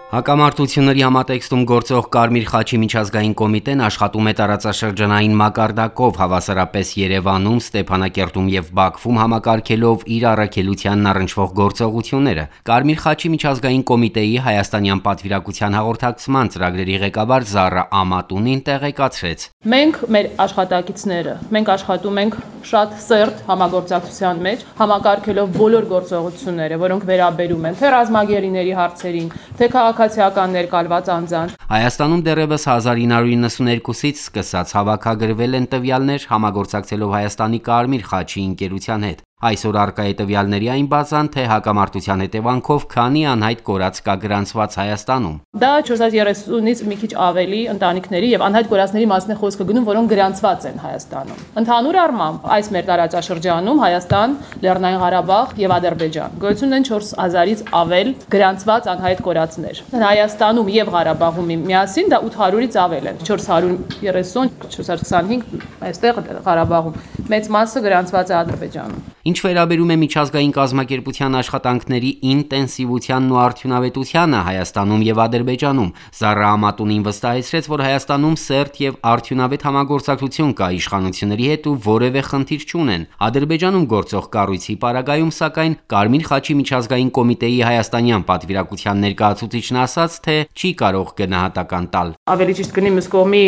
Հակամարտությունների համատեքստում գործող Կարմիր խաչի միջազգային կոմիտեն աշխատում է տարածաշրջանային մակարդակով, հավասարապես Երևանում, Ստեփանակերտում եւ Բաքվում համակարգելով իր առաքելությանն առնչվող գործողությունները։ Կարմիր խաչի միջազգային կոմիտեի հայաստանյան պատվիրակության հաղորդակցման ծրագրերի ղեկավար Զառա Ամատունին տեղեկացրեց. Մենք մեր աշխատակիցները, մենք աշխատում ենք շատ սերտ համագործակցության մեջ, համակարգելով բոլոր գործողությունները, որոնք վերաբերում են թե ռազմագերիների հարցերին, թե քաղաքացիական ներկալված անձանց։ Հայաստանում դեռևս 1992-ից սկսած հավաքագրվել են տվյալներ համագործակցելով Հայաստանի Կարմիր խաչի ընկերության հետ։ Այսօր առկա է տվյալների այն բազան, թե հակամարտության հետևանքով քանի անհայտ կորած կա գրանցված Հայաստանում։ Դա 430-ից մի քիչ ավելի ընտանիքների եւ անհայտ կորածների մասն է խոսքը գնում, որոնք գրանցված են Հայաստանում։ Ընդհանուր առմամբ այս մեր տարածաշրջանում Հայաստան, Լեռնային Ղարաբաղ եւ Ադրբեջան գոյություն են 4000-ից ավել գրանցված անհայտ կորածներ։ Հայաստանում եւ Ղարաբաղում միասին դա 800-ից ավել են, 430, 425 այստեղ Ղարաբաղում։ Մեծ մասը գրանցված է Ադրբեջանում։ Ինչ վերաբերում է միջազգային կազմակերպության աշխատանքների ինտենսիվությանն ու արդյունավետությանը Հայաստանում եւ Ադրբեջանում, Զառա Ամատունին վստահեցրեց, որ Հայաստանում սերտ եւ արդյունավետ համագործակցություն կա իշխանությունների հետ ու որևէ խնդիր չունեն։ Ադրբեջանում գործող կառույցի պարագայում, սակայն, Կարմիր խաչի միջազգային կոմիտեի հայաստանյան պատվիրակության ներկայացուցիչն ասաց, թե չի կարող գնահատական տալ։ Ավելի ճիշտ կլինի մյուս կողմի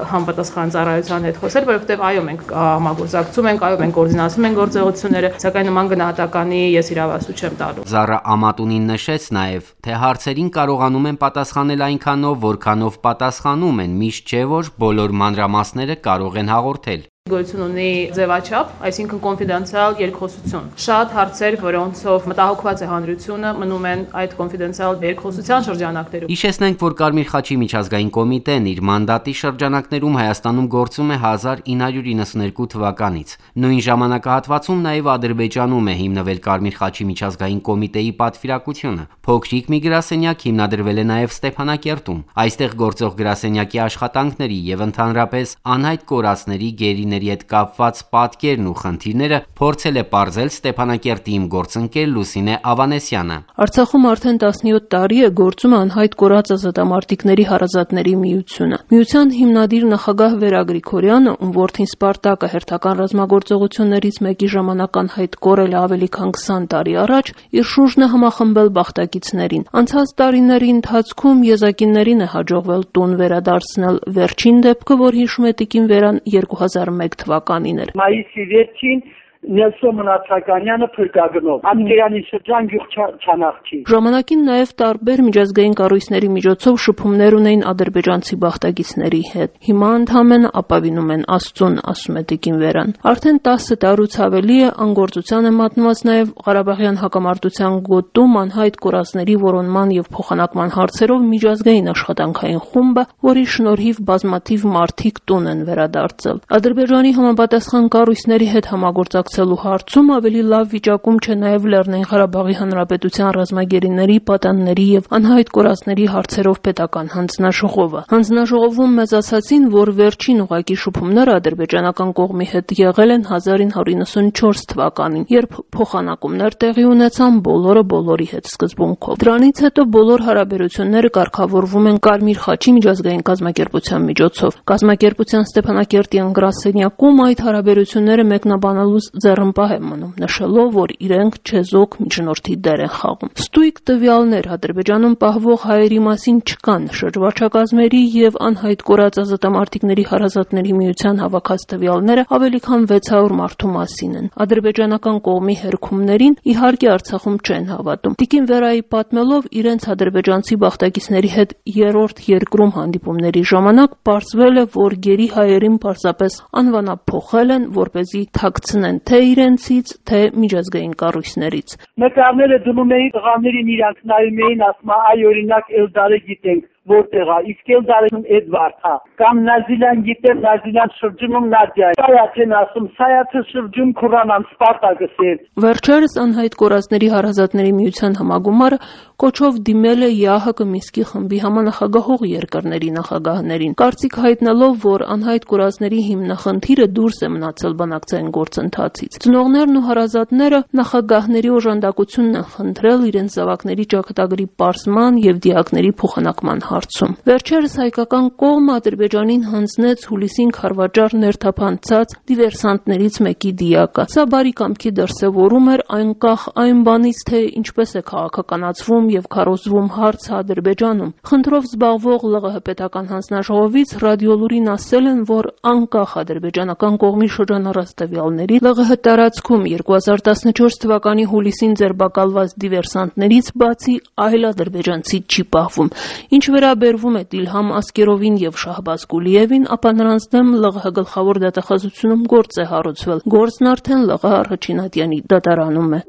համապատասխան ծառայության հետ խոսել, որովհետեւ այո, մենք համագործակցում ենք, այո, մենք կոորդինացնում ենք գործողությունները, սակայն նման գնահատականի ես իրավասու չեմ տալու։ Զառա Ամատունին նշեց նաև, թե հարցերին կարողանում են պատասխանել այնքանով, որքանով պատասխանում են, միշտ չէ, որ բոլոր մանրամասները կարող են հաղորդել։ Գոյություն ունի ձևաչափ, այսինքն կոնֆիդենցիալ երկխոսություն։ Շատ հարցեր, որոնցով մտահոգված է հանրությունը, մնում են այդ կոնֆիդենցիալ երկխոսության շրջանակներում։ Հիշեցնենք, որ Կարմիր խաչի միջազգային կոմիտեն իր մանդատի շրջանակներում Հայաստանում գործում է 1992 թվականից։ Նույն ժամանակահատվածում նաև Ադրբեջանում է հիմնվել Կարմիր խաչի միջազգային կոմիտեի պատվիրակությունը։ Փոքրիկ մի գրասենյակ հիմնադրվել է նաև Ստեփանակերտում։ Այստեղ գործող գրասենյակի աշխատանքների եւ ընդհանրապես անհայտ կորածների, գերիների հետ կապված պատկերն ու խնդիրները փորձել է պարզել Ստեփանակերտի իմ գործընկեր Լուսինե Ավանեսյանը։ Արցախում արդեն 17 տարի է գործում անհայտ կորած ազատամարտիկների հարազատների միությունը։ Միության հիմնադիր նախագահ Վերա Գրիգորյանը, ում որդին Սպարտակը հերթական ռազմագործողություններից մեկի ժամանակ անհայտ կորել է ավելի քան 20 տարի առաջ, իր շուրջն է համախմբել բախտակիցներին։ Անցած տարիների ընթացքում եզակիններին է հաջողվել տուն վերադարձնել։ Վերջին դեպքը, որ հիշում է տիկին Վերան 2001 թվականին էր։ Մայիսի վերջին Նելսոն Մնացականյանը փրկագնով Անգերանի շրջան գյուղ Չանախչի։ Ժամանակին նաև տարբեր միջազգային կառույցների միջոցով շփումներ ունեին ադրբեջանցի բախտագիցների հետ։ Հիմա ընդհանրապես ապավինում են Աստծուն, ասում է տիկին Վերան։ Արդեն 10 տարուց ավելի է անգործության է մատնված նաև Ղարաբաղյան հակամարտության գոտում անհայտ կորածների որոնման եւ փոխանակման հարցերով միջազգային աշխատանքային խումբը, որի շնորհիվ բազմաթիվ մարդիկ տուն են վերադարձել։ Ադրբեջանի համապատասխան կառույցների հետ համագործակցելու հարցում ավելի լավ վիճակում չէ նաև Լեռնային Ղարաբաղի Հանրապետության ռազմագերիների, պատանների եւ անհայտ կորածների հարցերով պետական հանձնաժողովը։ Հանձնաժողովում մեծ ասացին, որ վերջին ուղղակի շփումները ադրբեջանական կողմի հետ եղել են 1994 թվականին, երբ փոխանակումներ տեղի ունեցան բոլորը բոլորի հետ սկզբունքով։ Դրանից հետո բոլոր հարաբերությունները կարգավորվում են Կարմիր խաչի միջազգային կազմակերպության միջոցով։ Կազմակերպության Ստեփանակերտի գրասենյակում այդ հարաբերությունները մեկնաբանելու ձեռնպահ է մնում, նշելով, որ իրենք չեզոք միջնորդի դեր են խաղում։ Ստույգ տվյալներ Ադրբեջանում պահվող հայերի մասին չկան։ Շրջվարչակազմերի եւ անհայտ կորած ազատամարտիկների հարազատների միության հավաքած տվյալները ավելի քան 600 մարդու մասին են։ Ադրբեջանական կողմի հերքումներին իհարկե Արցախում չեն հավատում։ Տիկին Վերայի պատմելով, իրենց ադրբեջանցի բախտագիցների հետ երրորդ երկրում հանդիպումների ժամանակ պարզվել է, որ գերի հայերին պարզապես անվանափոխել են, որպեսզի թաքցնեն թե իրենցից, թե միջազգային կառույցներից։ Նկարները դնում էին տղաներին, իրանք նայում էին, ասում այ օրինակ Էլդարը գիտենք, որտեղ է, իսկ էլ դարում Էդվարդ է, կամ Նազիլյան գիտեր, Նազիլյան շրջանում Նադյա, Սայաթեն ասում, Սայաթը շրջում Քուրանան Սպարտակսեր։ Վերջերս անհայտ կորածների հարազատների միության համագումարը կոչով դիմել է ԵԱՀԿ Մինսկի խմբի համանախագահող երկրների նախագահներին, կարծիք հայտնելով, որ անհայտ կորածների հիմնախնդիրը դուրս է մնացել բանակցային գործընթացից։ Ծնողներն ու հարազատները նախագահների օժանդակությունն են խնդրել իրենց զավակների ճակատագրի պարզման եւ դիակների փոխանակման հարցում։ Վերջերս հայկական կողմը Ադրբեջանին հանձնեց հուլիսին քարվաճառ ներթափանցած դիվերսանտներից մեկի դիակը։ Սա բարի կամքի դրսևորում էր անկախ այն բանից, թե ինչպես է քաղաքականացվում եւ քարոզվում հարցը Ադրբեջանում։ Խնդրով զբաղվող ԼՂՀ պետական հանձնաժողովից ռադիոլուրին ասել են, որ անկախ ադրբեջանական կողմի շրջանառած տվյալների ԼՂՀ տարածքում 2014 թվականի հուլիսին ձերբակալված դիվերսանտներից բացի այլ ադրբեջանցի չի պահվում։ Ինչ վերաբերվում է Իլհամ Ասկերովին եւ Շահբազ Գուլիևին, ապա նրանց դեմ ԼՂՀ գլխավոր դատախազությունում գործ է հարուցվել։ Գործն արդեն ԼՂՀ առաջին ատյանի դատարանում է։